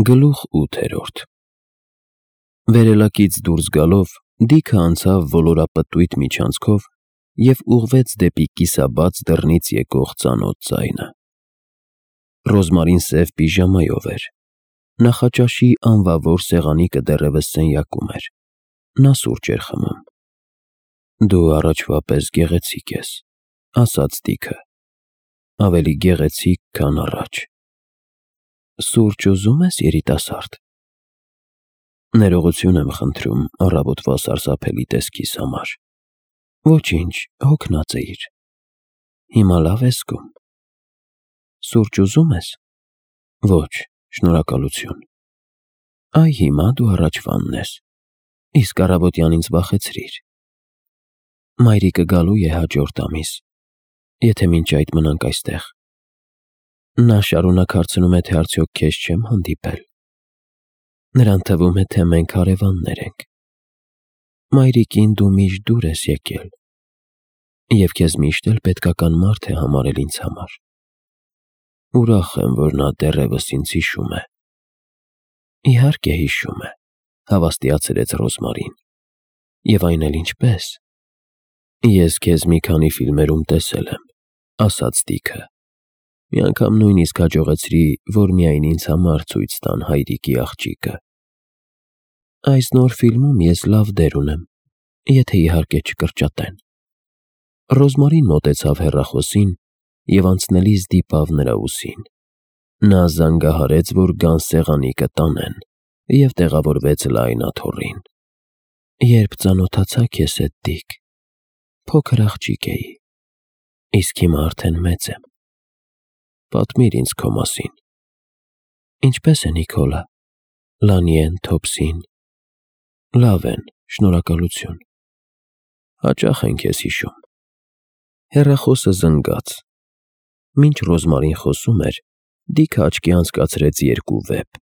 Գլուխ 8 Վերելակից դուրս գալով Դիքը անցավ ոլորապտույտ միջանցքով և ուղղվեց դեպի կիսաբաց դռնից եկող ծանոթ ձայնը։ Ռոզմարին սև պիժամայով էր, նախաճաշի անվավոր սեղանիկը դեռևս սենյակում էր, նա սուրճ էր խմում։ Դու առաջվա պես գեղեցիկ ես, ասաց Դիքը, ավելի գեղեցիկ, քան առաջ։ Սուրճ ուզում ես, երիտասարդ։ Ներողություն եմ խնդրում առավոտվա սարսափելի տեսքիս համար։ Ոչինչ, հոգնած էիր։ Հիմա լավ ես զգում։ Սուրճ ուզում ես։ Ոչ, շնորհակալություն։ Այ հիմա դու առաջվանն ես, իսկ առավոտյան ինձ վախեցրիր։ Մայրիկը գալու է հաջորդ ամիս, եթե մինչ այդ մնանք այստեղ։ Նա շարունակ հարցնում է, թե արդյոք քեզ չեմ հանդիպել։ Նրան թվում է, թե մենք հարևաններ ենք։ Մայրիկին դու միշտ դուր ես եկել, և քեզ միշտ էլ պետքական մարդ է համարել ինձ համար։ Ուրախ եմ, որ նա դեռևս ինձ հիշում է։ Իհարկե հիշում է, հավաստիացրեց Ռոզմարին։ Եվ այն էլ ինչպես։ Ես քեզ մի քանի ֆիլմերում տեսել եմ, ասաց Դիքը։ Մի անգամ նույնիսկ հաջողեցրի, որ միայն ինձ համար ցույց տան հայրիկի աղջիկը։ Այս նոր ֆիլմում ես լավ դեր ունեմ, եթե իհարկե չկրճատեն։ Ռոզմարին մոտեցավ հեռախոսին և անցնելիս դիպավ նրա ուսին։ Նա զանգահարեց, որ գան սեղանիկը տանեն, և տեղավորվեց լայն աթոռին։ Երբ ծանոթացա քեզ հետ, Դիք, փոքր աղջիկ էի, իսկ հիմա արդեն մեծ եմ։ Պատմիր ինձ քո մասին։ Ինչպե՞ս է Նիկոլը, Լանիեն, Թոփսին։ Լավ են, շնորհակալություն։ Հաճախ են քեզ հիշում։ Հեռախոսը զնգաց։ Մինչ Ռոզմարին խոսում էր, Դիքը աչքի անցկացրեց երկու վեպ։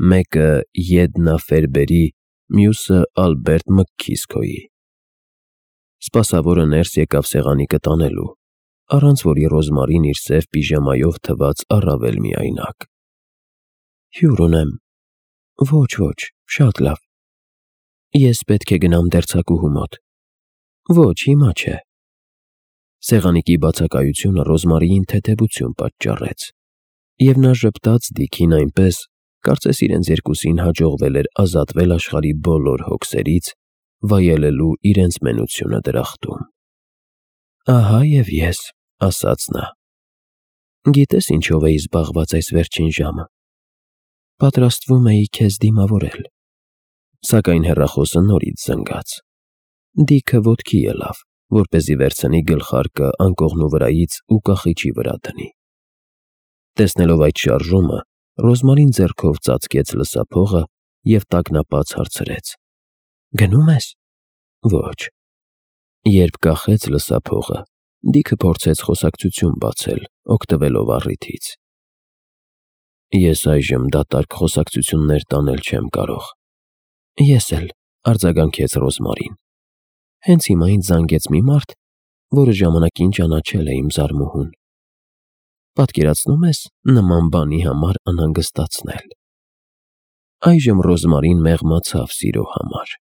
Մեկը Եդնա Ֆերբերի, մյուսը Ալբերտ Մքքիսքոյի։ Սպասավորը ներս եկավ սեղանիկը տանելու, առանց որի Ռոզմարին իր սև պիժամայով թվաց առավել միայնակ։ Հյուր ունեմ։ Ոչ, շատ լավ։ Ես պետք է գնամ դերձակուհու մոտ։ Ոչ, հիմա չէ։ Սեղանիկի բացակայությունը Ռոզմարիին թեթևություն պատճառեց, և նա ժպտաց Դիքին այնպես, կարծես իրենց երկուսին հաջողվել էր ազատվել աշխարհի բոլոր հոգսերից, վայելելու իրենց մենությունը դրախտում։ Ահա և ես, ասաց նա։ Գիտես ինչով էի զբաղված այս վերջին ժամը։ Պատրաստվում էի քեզ դիմավորել։ Սակայն հեռախոսը նորից զնգաց։ Դիքը ոտքի ելավ, որպեսզի վերցնի գլխարկը անկողնու վրայից ու կախիչի վրա դնի։ Տեսնելով այդ շարժումը, Ռոզմարին ձեռքով ծածկեց լսափողը և տագնապած հարցրեց. Գնում ես։ Ոչ։ Երբ կախեց լսափողը, Դիքը փորձեց խոսակցություն բացել, օգտվելով առիթից։ Ես այժմ դատարկ խոսակցություններ տանել չեմ կարող։ Ես էլ, արձագանքեց Ռոզմարին։ Հենց հիմա ինձ զանգեց մի մարդ, որը ժամանակին ճանաչել է իմ զարմուհուն։ Պատկերացնում ես նման բանի համար անհանգստացնել։ Այժմ Ռոզմարին մեղմացավ սիրո համար։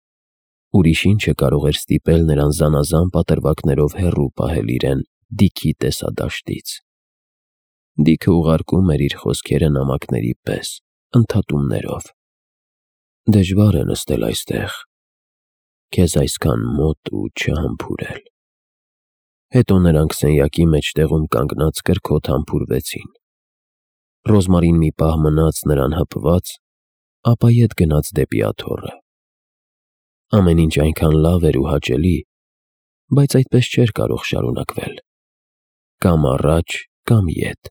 Ուրիշ ինչ կարող էր ստիպել նրան զանազան պատրվակներով հեռու պահել իրեն Դիքի տեսադաշտից։ Դիքը ուղարկում էր իր խոսքերը նամակների պես, ընդհատումներով։ Դժվար է նստել այստեղ, քեզ այսքան մոտ ու չհամբուրել։ Հետո նրանք սենյակի մեջտեղում կանգնած կրքոտ համբուրվեցին։ Ռոզմարին մի պահ մնաց նրան հպված, ապա ետ գնաց դեպի աթոռը։ Ամեն ինչ այնքան լավ էր ու հաճելի, բայց այդպես չէր կարող շարունակվել։ Կամ առաջ, կամ ետ։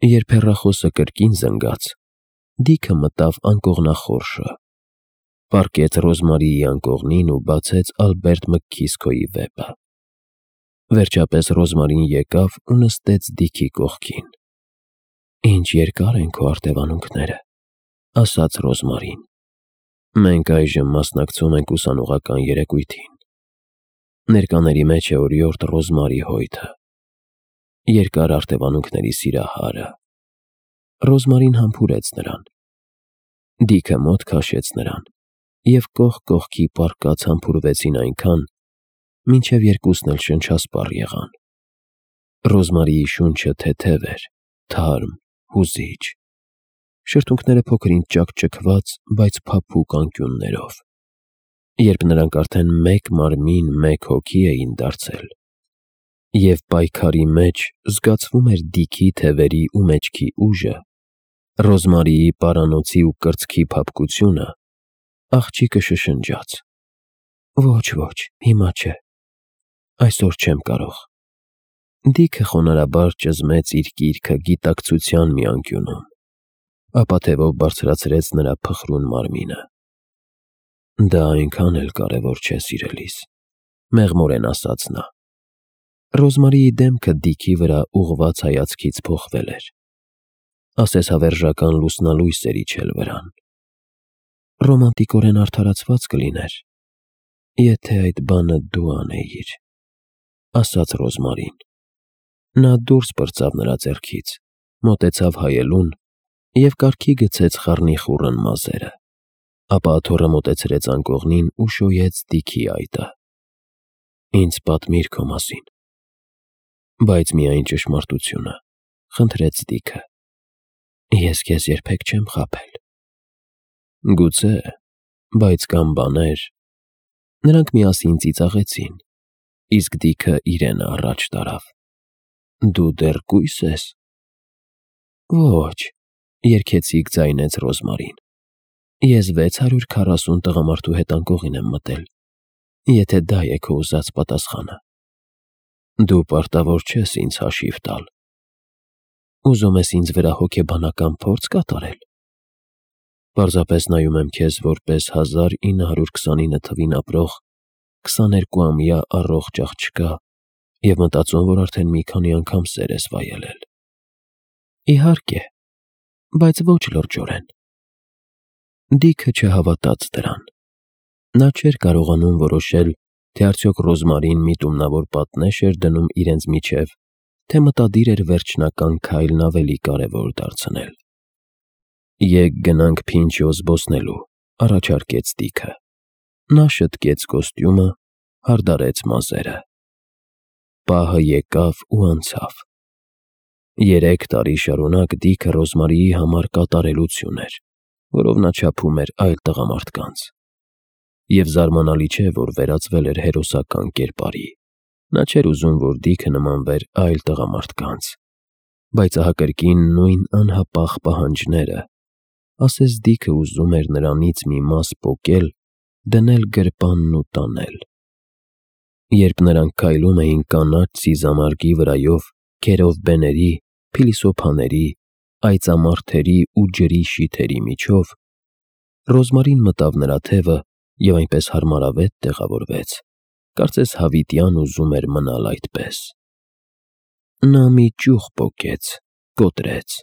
Երբ հեռախոսը կրկին զնգաց, Դիքը մտավ անկողնախորշը, պառկեց Ռոզմարիի անկողնին ու բացեց Ալբերտ Մքքիսքոյի վեպը։ Վերջապես Ռոզմարին եկավ ու նստեց Դիքի կողքին։ Ինչ երկար են քո արտևանունքները, ասաց Ռոզմարին։ Մենք այժմ մասնակցում ենք ուսանողական երեկույթին։ Ներկաների մեջ է օրիորդ Ռոզմարի Հոյթը, երկար արտևանունքների սիրահարը։ Ռոզմարին համբուրեց նրան, Դիքը մոտ քաշեց նրան, և կողք կողքի պառկած համբուրվեցին այնքան, մինչև երկուսն էլ շնչասպառ եղան։ Ռոզմարիի շունչը թեթև էր, թարմ, հուզիչ, շրթունքները փոքր-ինչ ճաքճքված, բայց փափուկ անկյուններով։ Երբ նրանք արդեն մեկ մարմին, մեկ հոգի էին դարձել, և պայքարի մեջ զգացվում էր Դիքի թևերի ու մեջքի ուժը, Ռոզմարիի պարանոցի ու կրծքի փափկությունը, աղջիկը շշնջաց. «Ոչ, հիմա չէ, այսօր չեմ կարող»։ Դիքը խոնարհաբար ճզմեց իր գիրքը գիտակցության մի անկյունում, ապա թևով բարձրացրեց նրա փխրուն մարմինը։ «Դա այնքան էլ կարևոր չէ, սիրելիս», մեղմորեն ասաց նա։ Ռոզմարիի դեմքը Դիքի վրա ուղղված հայացքից փոխվել էր, ասես հավերժական լուսնալույս էր իջել վրան։ «Ռոմանտիկորեն արդարացված կլիներ, եթե այդ բանը դու անեիր», ասաց Ռոզմարին։ Նա դուրս պրծավ նրա ձեռքից, մոտեցավ հայելուն և կառքի գցեց խառնիխուռն մազերը, ապա աթոռը մոտեցրեց անկողնին ու շոյեց Դիքի այտը։ «Ինձ պատմիր քո մասին, բայց միայն ճշմարտությունը», խնդրեց Դիքը։ «Ես քեզ երբեք չեմ խաբել»։ «Գուցե, բայց կան բաներ»։ Նրանք միասին ծիծաղեցին, իսկ Դիքը իրենը առաջ տարավ։ «Դու դեռ կույս ես»։ «Ոչ», երգեցիկ ձայնեց Ռոզմարին։ «Ես 640 տղամարդու հետ անկողին եմ մտել, եթե դա է քո ուզած պատասխանը»։ «Դու պարտավոր չես ինձ հաշիվ տալ»։ «Ուզում ես ինձ վրա հոգեբանական փորձ կատարել»։ «Պարզապես նայում եմ քեզ որպես 1929 թվին ապրող 22-ամյա առողջ աղջկա և մտածում, որ արդեն մի քանի անգամ սեր ես վայելել»։ «Իհարկե, բայց ոչ լրջորեն»։ Դիքը չհավատաց դրան։ Նա չէր կարողանում որոշել, թե արդյոք Ռոզմարին միտումնավոր պատնեշ էր դնում իրենց միջև, թե մտադիր էր վերջնական քայլն ավելի կարևոր դարձնել։ «Եկ գնանք Փինչո զբոսնելու», առաջարկեց Դիքը։ Նա շտկեց կոստյումը, հարդարեց մազերը։ Պահը եկավ ու անցավ։ 3 տարի շարունակ Դիքը Ռոզմարիի համար կատարելություն էր, որով նա չափում էր այլ տղամարդկանց։ Եվ զարմանալի չէ, որ վերածվել էր հերոսական կերպարի։ Նա չէր ուզում, որ Դիքը նմանվեր այլ տղամարդկանց, բայց ահա կրկին նույն անհապաղ պահանջները, ասես Դիքը ուզում էր նրանից մի մաս պոկել, դնել գրպանն ու տանել։ Երբ նրանք քայլում էին կանաչ սիզամարգի վրայով քերով բեների, փիլիսոփաների, այծամարդերի ու ջրի շիթերի միջով, Ռոզմարին մտավ նրա թևը և այնպես հարմարավետ տեղավորվեց, կարծես հավիտյան ուզում էր մնալ այդպես։ Նա մի ճյուղ պոկեց, կոտրեց,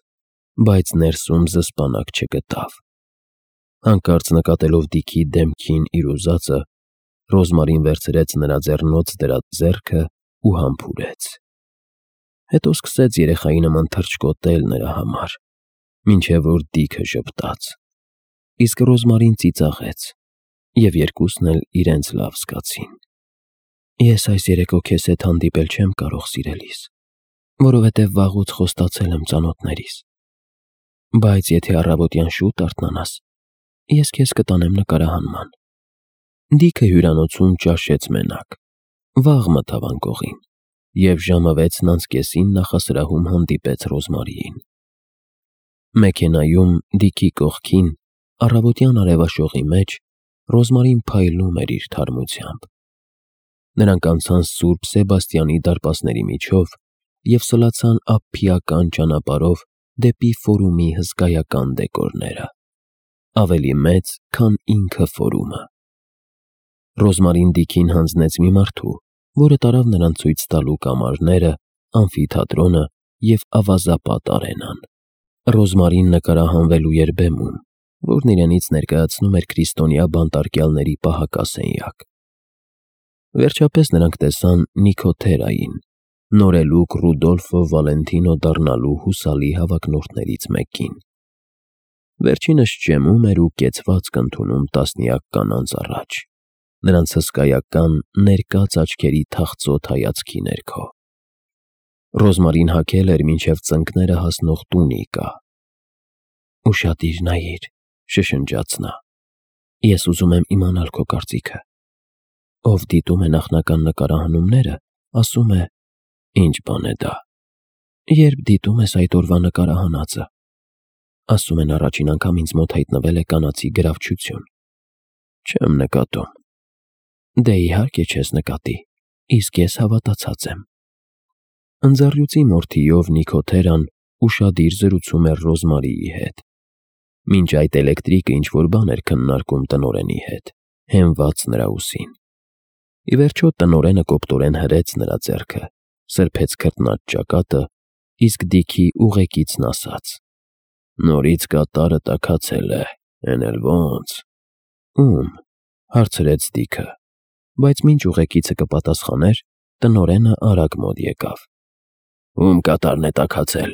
բայց ներսում զսպանակ չգտավ։ Հանկարծ նկատելով Դիքի դեմքին իր ուզածը, Ռոզմարին վերցրեց նրա ձեռնոց դրած ձեռքը ու համբուրեց։ Հետո սկսեց երեխայի նման թռչկոտել նրա համար, մինչև որ Դիքը ժպտաց, իսկ Ռոզմարին ծիծաղեց, և երկուսն էլ իրենց լավ զգացին։ «Ես այս երեկո քեզ հետ հանդիպել չեմ կարող, սիրելիս, որովհետև վաղուց խոստացել եմ ծանոթներիս, բայց եթե առավոտյան շուտ արթնանաս, ես քեզ կտանեմ նկարահանման»։ Դիքը հյուրանոցում ճաշեց մենակ, վաղ մտավ անկողին, և ժամը 6:30 նախասրահում հանդիպեց Ռոզմարիին։ Մեքենայում Դիքի կողքին, առավոտյան արևաշողի մեջ, Ռոզմարին փայլում էր իր թարմությամբ։ Նրանք անցան Սուրբ Սեբաստիանի դարպասների միջով և սլացան ափիական ճանապարհով դեպի Ֆորումի հսկայական դեկորները, ավելի մեծ, քան ինքը Ֆորումը։ Ռոզմարին Դիքին հանձնեց մի մարդու, որը տարավ նրան ցույց տալու կամարները, ամֆիթատրոնը և ավազապատ արենան։ Ռոզմարին նկարահանվելու էր բեմում, որն իրենից ներկայացնում էր քրիստոնյա բանտարկյալների պահակասենյակ։ Վերջապես նրանք տեսան Նիքոթերային, նորելուկ Ռուդոլֆո Վալենտինո դառնալու հուսալի հավակնորդներից մեկին։ Վերջինս ճեմում էր ու կեցվածք ընդունում տասնյակ կանանց առաջ, նրանց հսկայական ներկած աչքերի թախծոտ հայացքի ներքո։ Ռոզմարին հագել էր մինչև ծնկները հասնող տունիկա։ «Ուշադիր նայիր», շշնջաց նա։ «Ես ուզում եմ իմանալ քո կարծիքը։ Ով դիտում է նախնական նկարահանումները, ասում է. ինչ բան է դա։ Երբ դիտում ես այդ օրվա նկարահանածը, ասում են առաջին անգամ ինձ մոտ հայտնվել է կանացի գրավչություն։ Չեմ նկատում։ Դե իհարկե չես նկատի, իսկ ես հավատացած եմ»։ Ընձառյուծի մորթիով Նիքոթերան ուշադիր զրուցում էր Ռոզմարիի հետ։ Մինչ այդ էլեկտրիկը ինչ-որ բան էր քննարկում տնօրենի հետ, հենված նրա ուսին։ Ի վերջո տնօրենը կոպտորեն հրեց նրա ձեռքը, սրբեց քրտնած ճակատը, իսկ Դիքի ուղեկիցն ասաց. «Նորից կատարը տաքացել է, էն էլ ոնց»։ «Ում»։ հարցրեց Դիքը, բայց մինչ ուղեկիցը կպատասխաներ, տնօրենը արագ մոտ եկավ։ «Ում կատարն է տաքացել,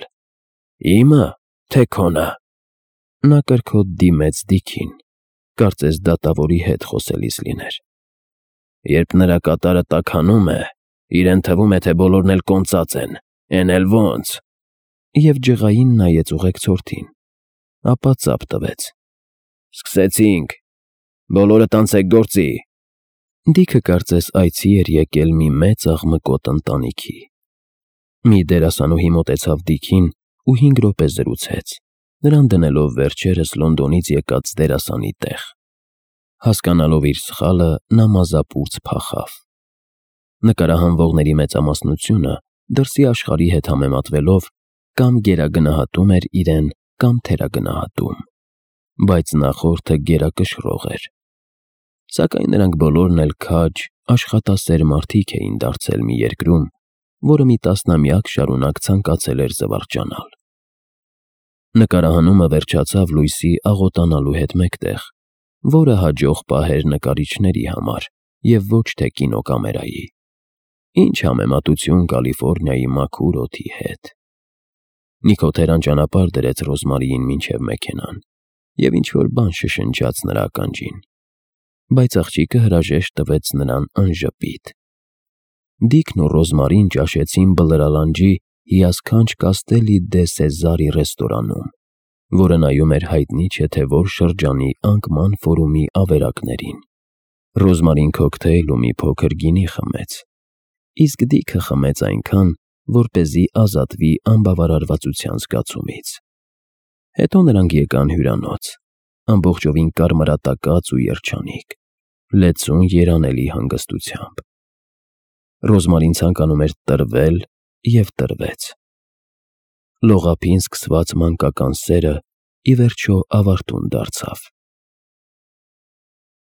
իմը, թե քոնը»։ Նա կրքոտ դիմեց Դիքին, կարծես դատավորի հետ խոսելիս լիներ։ «Երբ նրա կատարը տաքանում է, իրեն թվում է, թե բոլորն էլ կոնծած են, էն էլ ոնց»։ Եվ ջղային նայեց ուղեկցորդին, ապա ծափ տվեց. «Սկսեցինք, բոլորդ անցեք գործի»։ Դիքը կարծես այցի էր եկել մի մեծ աղմկոտ ընտանիքի։ Մի դերասանուհի մոտեցավ Դիքին ու 5 րոպե զրուցեց, նրան դնելով վերջերս Լոնդոնից եկած դերասանի տեղ։ Հասկանալով իր սխալը, նա մազապուրծ փախավ։ Նկարահանվողների մեծամասնությունը դրսի աշխարհի հետ համեմատվելով կամ գերագնահատում էր իրեն, կամ թերագնահատում, բայց նախորդը գերակշռող էր։ Սակայն նրանք բոլորն էլ քաջ, աշխատասեր մարդիկ էին դարձել մի երկրում, որը մի տասնամյակ շարունակ ցանկացել էր զվարճանալ։ Նկարահանումը վերջացավ լույսի աղոտանալու հետ մեկտեղ, որը հաջող պահեր նկարիչների համար և ոչ թե կինոկամերայի։ Ինչ համեմատություն Կալիֆոռնիայի մաքուր օդի հետ։ Նիքոթերան ճանապարհ դրեց Ռոզմարիին մինչև մեքենան և ինչ-որ բան շշնջաց նրա ականջին, բայց աղջիկը հրաժեշտ տվեց նրան անժպիտ։ Դիքն ու Ռոզմարին ճաշեցին Բլրալանջի հիասքանչ Կաստելի դե Սեզարի ռեստորանում, որը նայում էր հայտնի չէ թե որ շրջանի անկման ֆորումի ավերակներին։ Ռոզմարին քոքթեյլ ու մի փոքր գինի խմեց, իսկ Դիքը խմեց այնքան, որպեսզի ազատվի անբավարարվածության զգացումից։ Հետո նրանք եկան հյուրանոց, ամբողջովին կարմրատակած ու երջանիկ, լեցուն երանելի հանգստությամբ։ Ռոզմարին ցանկանում էր տրվել և տրվեց։ Լողափին սկսված մանկական սերը ի վերջո ավարտուն դարձավ։